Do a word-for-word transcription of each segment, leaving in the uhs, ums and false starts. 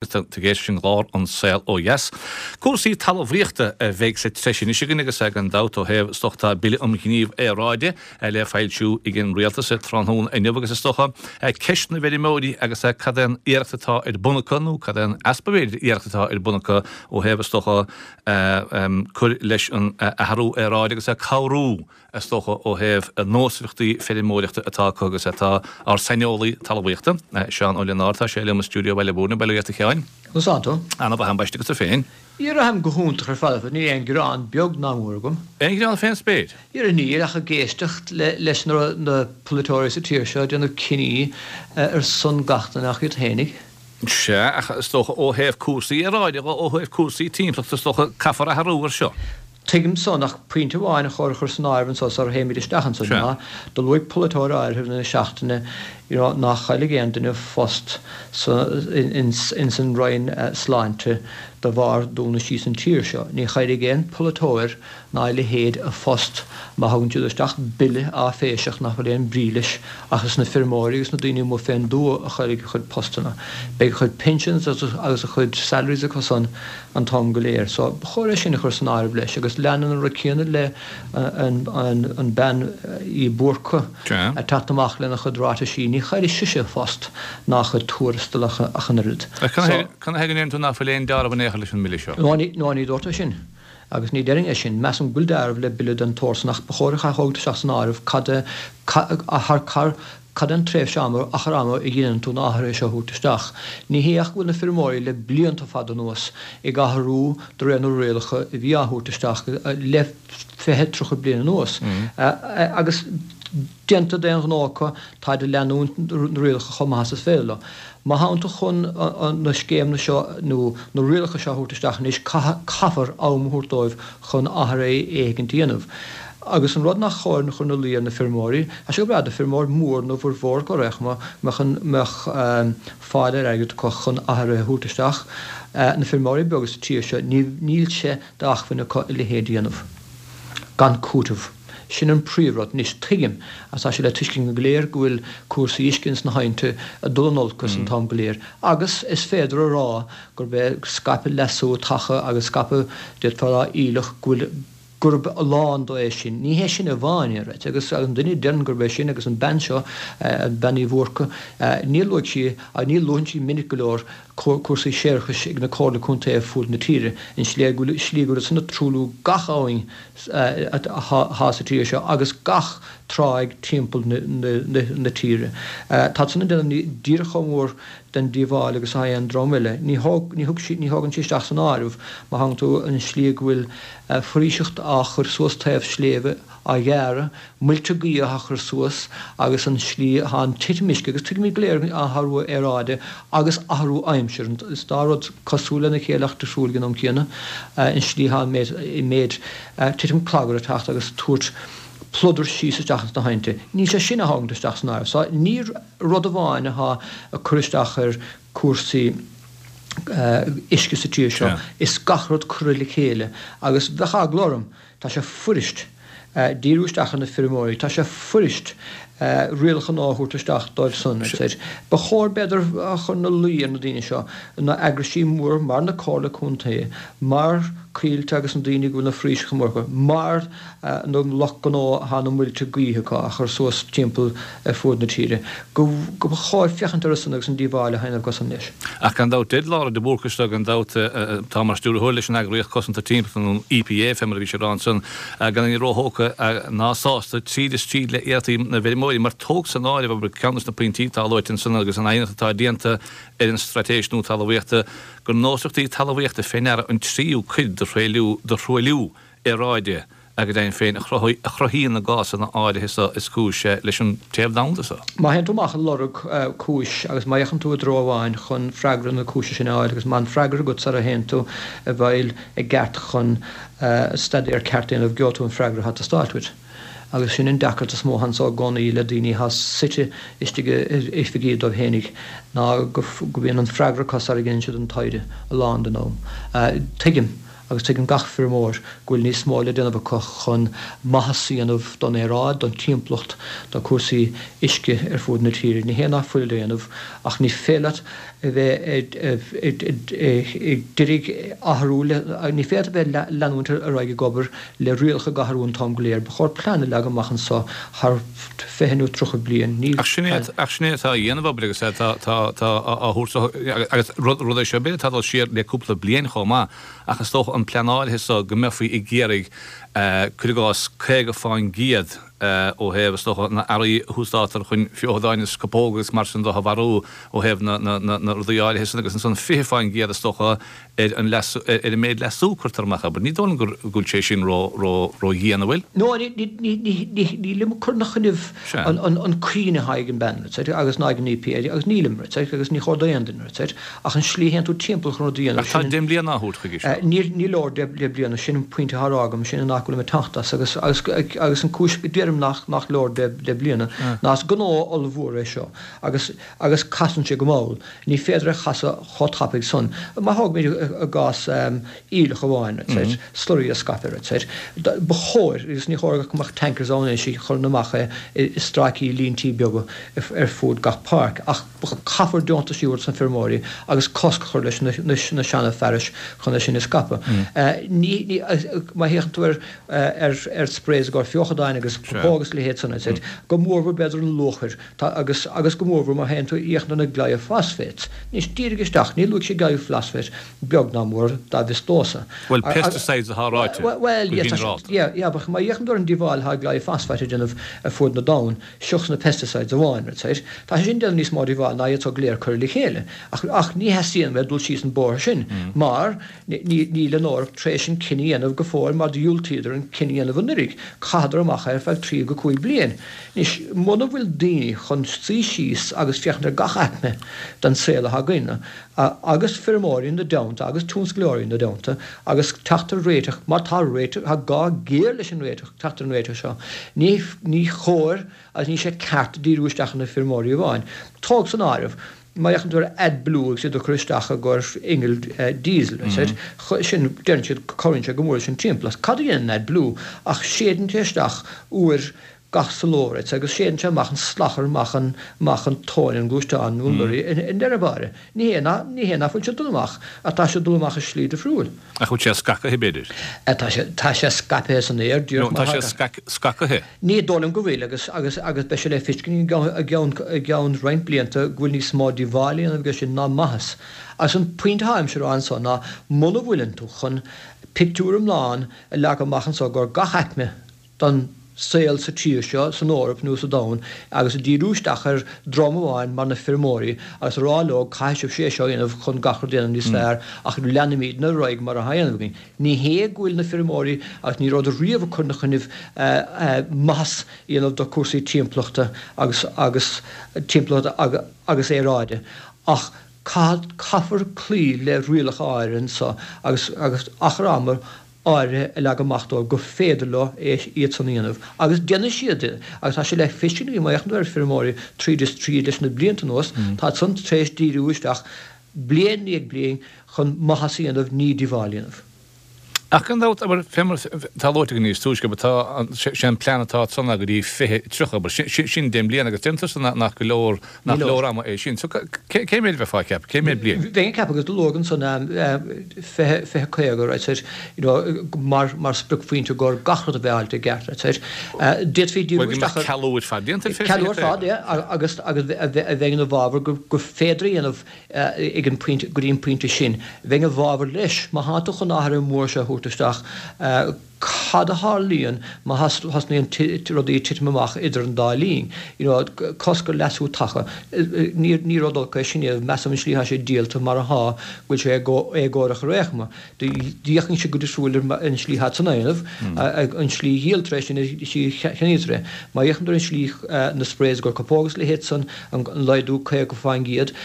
Tá tú ag éisteacht leis an gclár An Saol Ó Dheas. Cúrsaí talmhaíochta a bheidh sa treis anois againn agus gan dabht ó thaobh is dócha tá Bille um Ghníomh Aeráide le foilsiú ag an Rialtas tráthnóna inniu agus is dócha ceist na bhfeirmeoirí agus cad é an iarracht atá ar bun acu nó cad é an easpa b'fhéidir iarracht atá ar bun acu ó thaobh is dócha cur leis an athrú aeráide agus cabhrú is dócha ó thaobh nósmhaireachtaí feirmeoireachta atá acu agus atá ár saineolaí talmhaíochta, Seán Ó Lionáird, tá sé liom i stiúideo Bhaile Bhúirne, bail ó Dhia ort a Sheáin. Conas tánn tú? Ana-mhaith ambaiste agus tú féin? Dhera, táim go hiontach ar fad, níl aon ghearán beag ná mór agam. Aon ghearán fén spéir? Dhera níl ach ag éisteacht leis na polaiteoirí sa tír seo ag déanamh cinní ar son gach duine ach iad féinig. Sea, ach is dócha ó thaobh cúrsaí aeráide, ó thaobh cúrsaí timpeallachta is dócha caithfear athrú ar seo. Tuigim san, ach pointe amháin a chóir a chur san áireamh anso sara théimid isteach ansan ná, do luaigh polaiteoir áirithe i rith na seachtaine you know ná chaillfidh aon duine post sa, ins, ins an Roinn Sláinte de bharr dúnadh síos an tír seo. Ní chaillfidh aon pholaiteoir ná a leithéid a phost má thugann siad isteach bille áiféiseach nach bhfuil aon brí leis ach is na feirmeoirí agus na daoine amuigh fén dtuath a chaillfidh a chuid postanna. Beidh a chuid pensions agus a chuid salaries acu san an t-am go léir. So ba chóir é sin a chur san áireamh leis agus leanann an rud céanna le an bean Uí Búrca ag teacht amach lena chuid ráitisí, ní chaillfidh sise a phost ná a chuid tuarastal ach an oiread. Ach cad ina thaobh go ndeireann tú nach bhfuil aon deáramh in aon chor leis an mbille seo? No ní dúirt é sin. Agus ní déarfainn é sin. Measaim go bhfuil deáramh le bille den tsórt san ach ba chóir a thabhairt isteach san áireamh cad é thar cad é an tréimhse ama, achar ama a dheineann tú na hathruithe seo a thabhairt isteach. Ní hé ach go bhfuil na feirmeoirí le blianta fada anuas ag athrú de réir na rialacha a bhí á thabhairt isteach le fiche, tríocha bliain anuas. Agus déanta d'aon ghnó acu, táid ag leanúint na rialacha chomh maith is is féidir leo. Má thánn tú chun na scéimeanna seo nó na rialacha seo a thabhairt isteach anois, caithfear am a thabhairt dóibh chun athruithe éigint a dhéanamh. Agus an rud nach chóir a chur ina luí ar na feirmeoirí, tá sé go breá do feirmeoir mór nó bhformhór acu ar aon chuma, mbeadh fáil ar airgead acu chun athruithe a thabhairt isteach. Na feirmeoirí beaga sa tír seo, níl sé d'acmhainn acu a leithéid a dhéanamh gan cúiteamh. Sin an príomhrud. Anois, tuigim, agus tá sé le tuiscint againn go léir, go bhfuil cúrsaí uisce ins na haibhnte ag dul in olcas an t-am go léir, agus is féidir a rá gurb é scaipeadh leasú taca agus scaipeadh, d'fhéadfá a rá, aoileach, go bhfuil, gurb a lán dó é sin. Ní hé sin amháin é, right? Agus an duine a deireann gurb é sin, agus an bean seo, Bean Uí Bhúrca, níor luaigh sí, ní luann sí minic go leor cúrsaí séarachais ag na comhairlí contae ar fuaid na tíre, an slí go bhfuil san ag truailliú gach abhainn atá sa tír seo agus gach tráigh timpeall na tíre. Tá san ag déanamh díreach chomh mór den díobháil agus atá aon dream eile. Ní thógann sí isteach san áireamh, má thagann tú an slí go bhfuil foraoiseacht á chur suas taobh sléibhe, á ghearradh, muilte gaoithe á chur suas agus an slí atá an titim uisce, agus tuigimid go léir athrú aeráide agus athrú aimsire, is dá rud cosúil lena chéile ach difriúil ag an am céanna, an slí atá an méid titim clagair ag teacht agus tabhairt pludar síos isteach ins na haibhnte. Níl sé sin á thógaint isteach san áireamh. So ní rud amháin atá ag cur isteach ar cúrsaí uisce sa tír seo, is gach rud curtha le chéile agus bheadh eagla orm, tá sé fuirist díriú isteach ar na feirmeoirí, tá sé fuirist rialacha nua a thabhairt isteach dóibh san, etc. Ba chóir b'fhéidir a chur ina luí ar na daoine seo, na eagraisí mór mar na Comhairle Contae, mar Coillte agus na daoine go bhfuil na foraoiseacha móra acu, mar na lucht gnó atá na muilte gaoithe acu á chur suas timpeall ar fuaid na tíre, go ba chóir féachaint orthu san agus an díobháil a dhéanamh acu san leis. Ach gan dabht, deir Laura de Búrca seo gan dabht, atá mar stiúrthóir leis an eagraíocht cosanta timpeallachta nó an EPA fé mar a bhí sé a rá ansan, gan éinne róthógtha ná sásta tríd is tríd le iarrachtaí na bhfeirmeoirí mar tóg san áireamh, abair, ceann de na pointí atá luaite ansan agus an aighneacht atá déanta ar an straitéis nua talmhaíochta, gur nósmhaireachtaí talmhaíochta fé ndeara an tríú cuid de thruailliú aeráide go deimhin féin a chruthaíonn na gásanna áirithe seo is cúis leis an téamh domhanda seo. Má théann tú amach ag lorg cúis agus má fhéachann tú i dtreo amháin chun freagra na cúise sin a fháil agus má an freagra agat sara théann tú i bhfeighil i gceart chun staidéar ceart a dhéanamh gheobhaidh tú an freagra atá ag teastáilt uait. Agus sin an deacracht is mó atá anso i gcónaí le daoine atá suite istigh i oifigí dóibh fhéinig ná go mbíonn an freagra acu sara ndéanann siad an taighde a lán den am. Tuigim agus tuigeann gach feirmeoir go bhfuil níos mó le déanamh acu chun maitheas a dhéanamh don aeráid, don timpeallacht, do chúrsaí uisce ar fud na tíre. Ní hé nach fuil le déanamh ach ní féidir leat a bheith ag d'iarraidh athrú, ní féidir a bheith leanúint ar aghaidh ag obair le rialacha ag athrú an t-am go léir. Ba chóir plean a leagan amach anseo thar fiche nó tríocha bliain. Ní Ach sin é ach sin é atá á dhéanamh abair agus tá tá tá á thabhairt agus rud rud é seo b'fhéidir atá dul siar le cúpla bliain chomh maith ach is dócha an pleanáil so go mbeifí ag iarraidh cuir i gcás caoga fán gcéad ó thaobh is dócha na earraí a húsáidtear chun feochadáin is cupóga agus mar sin de a mharú ó thaobh na na na na rudaí áirithe sin agus ansan fiche fán gcéad is dócha ar an leasú ar an méid leasú cuirtear amach abair. Ní dóigh liom gur go bhfuil sé sin ró ró ródhian an bhfuil? No, ní ní ní ní ní nílim ag cur ina choinnibh Sea. an an an cuimhne atá ag an bplean agus ná ag an EPA agus nílim agus ní chóir d'aon duine ach an slí a théann tú timpeall chun rud a dhéanamh Ach tá sin deich mbliana á thabhairt chuige seo. Ní ní leor deich deich bliana sin an pointe atá á rá agam sin nach bhfuil mé teacht as agus agus agus an cúis go deirim nach nach leor deich deich bliana ná is gnó ollmhór é seo agus agus casann sé go mall. Ní féidir é chasadh chomh tapaidh san. Má thógaimid i gcás aoileach amháin slurry a scaipeadh Ba chóir agus ní chóir go mbeadh tankers ann anois a chuireann amach é i stráicí líntí beaga ar fud gach páirc ach caithfear deontais a thabhairt sna feirmeoirí agus cosc a chur leis na na seana fearais chun é sin a scaipeadh. Ní ní má théann tú ar ar ar sprays i gcomhair feochadáin agus pupóg agus leithéid san go mórmhór b'fhéidir an luachair tá agus agus go mórmhór má théann tú féachaint ar na glyphosphates. Anois dírigh isteach, ní luaigh sé glyphosphate beag ná mór dá bhfios domhsa. Well pesticides atá ráite Well go ginearálta. yeah, yeah, má fhéachann tú ar an díobháil atá glyphosphate a dhéanamh ar fud na domhan, seachas na pesticides amháin, right? Tá sé sin déanamh níos mó díobháil ná iad so go léir curtha le chéile. Ach, ach ní theastaíonn uaim dul síos an bóthar sin, mar níl an Eoraip tar éis an cinneadh a dhéanamh go fóill mar dhiúltaíodar an cinneadh a dhéanamh anuraidh. Chaitheadar amach ar feadh trí go cúig bliain. Anois muna bhfuil daoine chun suí síos agus féachaint ar gach aicme den saol atá againn, agus feirmeoirí ina dteannta agus tionsclóirí ina dteannta agus teacht ar réiteach mar tá réiteach tá gá géar leis an réiteach teacht ar an réiteach seo. Ní ní chóir agus ní sé ceart díriú isteach ar na feirmeoirí amháin. Tóg san áireamh má fhéachann tú ar AdBlue agus iad a chur isteach i gcomhair inneall diesel sin deireann siad cuireann sé go mór leis an timpeallacht. Cad a dhéanann AdBlue ach séideann sé isteach uair gach sa ló agus séideann sé amach an slachar amach an amach an tóin an gluaisteán nó an lorry i ndeireadh báire. Ní hé ná ní hé nach bhfuil sé dul amach ach tá sé dul amach i slí difriúil. Ach bhfuil sé scagtha b'fhéidir? Tá sé tá sé scaipthe san aer No, tá sé scagtha. Ní dóigh liom go bhfuil agus agus agus beidh sé le feiscint i gceann i gceann roinnt blianta go bhfuil níos mó díobháil á dhéanamh aige sin ná maitheas. Agus an pointe atáimse a rá anso ná muna bhfuileann tú chun pictiúr iomlán a leagan amach anso gur gach aicme don saol sa tír seo san Eoraip nó sa domhan agus a díriú isteach ar dhream amháin mar na feirmeoirí agus a rá leo caithfidh sibh sé seo a dhéanamh chun gach rud a dhéanamh níos fearr ach leanfaimid ar aghaidh mar atá á dhéanamh againn. Ní hé go bhfuil na feirmeoirí agus ní rabhadar riamh ag cur ina choinnibh maitheas a dhéanamh do chúrsaí timpeallachta agus agus timpeallachta agus aeráide ach caithfear cloí le rialacha áirithe anseo agus agus achar ama áirithe a leagan amach dóibh go féidir leo é iad san a dhéanamh. Agus déanfaidh siad é agus tá sé le feiscint má fhéachann tú ar feirmeoirí tríd is tríd leis na blianta anuas, tá san tar éis díriú isteach bliain i ndiaidh bliain chun maitheas a dhéanamh ní díobháil a dhéanamh. Ach gan dabht, abair, fé mar tá luaite againn níos túisce, abair, tá sé an plean atá ansan go dtí fiche tríocha, abair, sin deich mbliana agus deir tusa nach go leor, nach leor ama é sin. So cé mhéad a bheifeá ag ceapadh, cé mhéad bliain? Bheinn ag ceapadh agus luadh ansan fiche, fiche caoga, right, said, you know, mar, mar spriocphointe gur gach rud a bheith fáilte i gceart, right, said. D'fhéadfaí díriú Bhuel, go mbeadh cealú ar fad déanta ar fiche, Cealú ar fad, yeah, agus, agus a bheinn ina bhfabhar go, go féidir a dhéanamh ag an bpointe, go dtí an pointe sin. Bheinn i bhfabhar leis, má tá tú chun athruithe mór seo a thabhairt isteach, cad a tharlaíonn má thosnaíonn rudaí ag titim amach idir an dá linn? You know, cosc ar leasú taca. Ní, ní rud olc é sin é, measaim an slí atá sé díolta mar atá, go bhfuil sé éagórach ar aon chuma. D'fhéachfainnse go difriúil ar an slí atá san dhéanamh, an slí a dhíoltar é sin, an slí a cheannaítear é. Má fhéachann tú ar an slí na sprays i gcomhair cupóg agus a leithéid san, an laghdú caoga fán gcéad,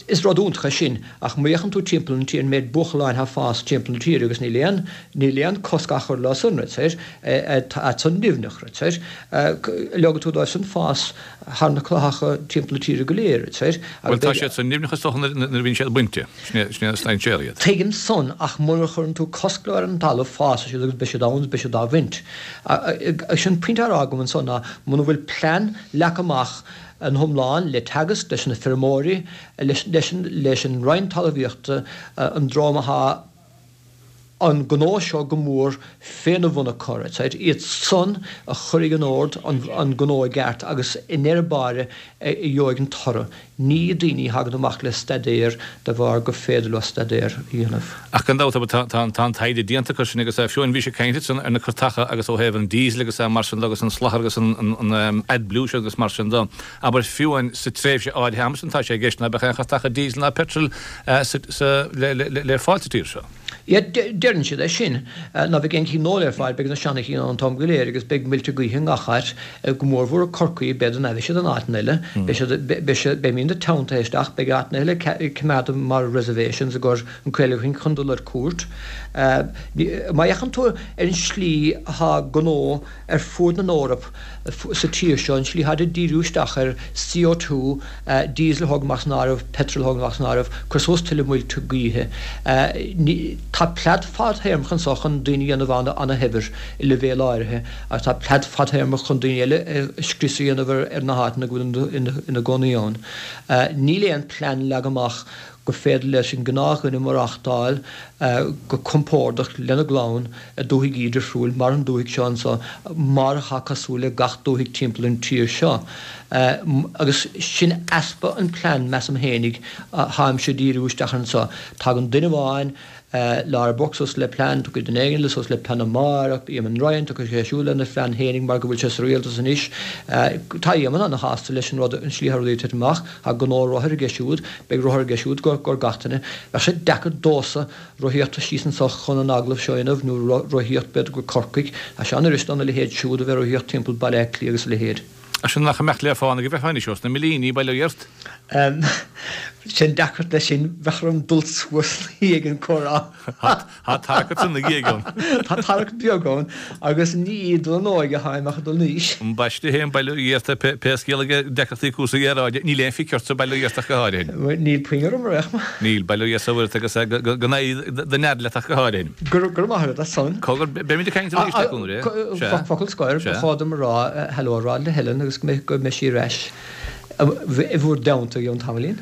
Is rud iontach é sin, ach má fhéachann tú timpeall an tír, an méid buachalláin atá ag fás timpeall na tíre agus níl aon, níl aon cosc á chur leo san, right, tá san nimhneach, right, leogfaidh tú dóibh san fás thar na clathacha timpeall na tíre go léir, right. Bhuel, tá siad san nimhneach is dócha nuair a bhíonn siad bainte, sin é an stainséar iad. Tuigim san, ach mura chuireann tú cosc leo ar an talamh, fásfaidh siad agus beidh siad ann agus beidh siad á bhaint. Sin pointe á rá agam ansan ná muna bhfuil plean leagtha amach ina hiomlán le Teagasc, leis na feirmeoirí, leis an Roinn Talmhaíochta, an dream atá an gnó seo go mór féna bhun a chur, iad san a chuirfidh in ord an gnó i gceart agus i ndeireadh báire a gheobhaidh an toradh. Ní daoine a thagann amach le staidéar de bharr gur féidir leo staidéar a dhéanamh. Ach gan dabht, tá an taighde déanta acu sin agus fiú bhí sé ag caint ansan ar na cairteacha agus ó thaobh an diesel agus mar sin de agus an slachar agus an AdBlue seo agus mar sin de. Abair fiú sa tréimhse áirithe ama sin tá sé i gceist ná beadh aon chairteacha diesel ná petrol le fáil sa tír seo. Yeah, deireann siad é sin, ná beidh aon chinn nua le fáil, beidh na seana chinn ann an t-am go léir agus beidh muilte gaoithe i ngach áit, go mórmhór i Corcaigh, b'fhéidir ná beidh siad in áiteanna eile, beidh siad, beidh siad, beimídne teanntaithe isteach, beidh áiteanna eile coimeádta mar reservations i gcomhair an caoladh chun dul ar cuairt. Má fhéachann tú ar an slí atá gnó ar fuaid na nEorap sa tír seo, an slí atáid ag díriú isteach ar C O two, diesel a thóg amach as an áireamh, petrol a thóg amach as an áireamh, cuir suas tuilleadh muilte gaoithe. Tá plean fadthéarmach anso chun daoine a dhéanamh ana-shaibhir i leibhéal áirithe agus tá plean fadthéarmach chun daoine eile scrios a dhéanamh ar na háiteanna go bhfuil ina gcónaí ann. Níl aon plean leagtha amach gur féidir leis an gnáthdhuine maireachtáil go compordach lena gclann i dúthaigh difriúil mar an dúthaigh seo anso, mar atá cosúil le gach dúthaigh timpeall an tír seo. Agus sin easpa an plean, measaim fhéinig, atáimse ag díriú isteach air anso. Tagann duine amháin, Laura Burke suas le plean, tiocfaidh duine éigin eile suas le plean amárach, Eamon Ryan, tiocfaidh sé siúd lena phlean fhéinig mar go bhfuil sé sa rialtas anois. Tá Eamon ana-shásta leis an rud, an slí atá rudaí ag titim amach. Tá gnó rothair aige siúd, beidh rothar aige siúd go gach duine. Bheadh sé deacair domhsa rothaíocht síos anso chun an agallamh seo a dhéanamh, nó rothaíocht b'fhéidir go Corcaigh. Tá sé an-fhuirist dona leithéid siúd a bheith rothaíocht timpeall Baile Átha Cliath agus a leithéid. Ach sin nach imeacht le fána go bhfeicfeá anois ós na millíní, bail ó Dhia ort. Sin deacracht leis sin, bheadh orm dul suas ina dhiaidh an comhrá. Tá tarrac ort ina dhiaidh ann. Tá tarrac beag ann agus ní ag dul in óige atáim ach ag dul in aois. Ambaiste féin, bail ó Dhia ort, pé scéal é deacrachtaí cúrsaí aeráide, níl aon phioc ortsa, bail ó Dhia ort ach go háirithe. Níl puinn orm ar aon chuma. Níl, bail ó Dhia is a Mhuire ort agus go n-éirí do nead leat ach go háirithe. Go raibh maith agat as san. Cogar, beimid ag caint arís le cúnamh Dé. Sea. Focal scoir, ba chóir dom a rá, hello a rá le Helen agus go mbeidh sí ar ais i bhur dteannta i gceann tamaillín.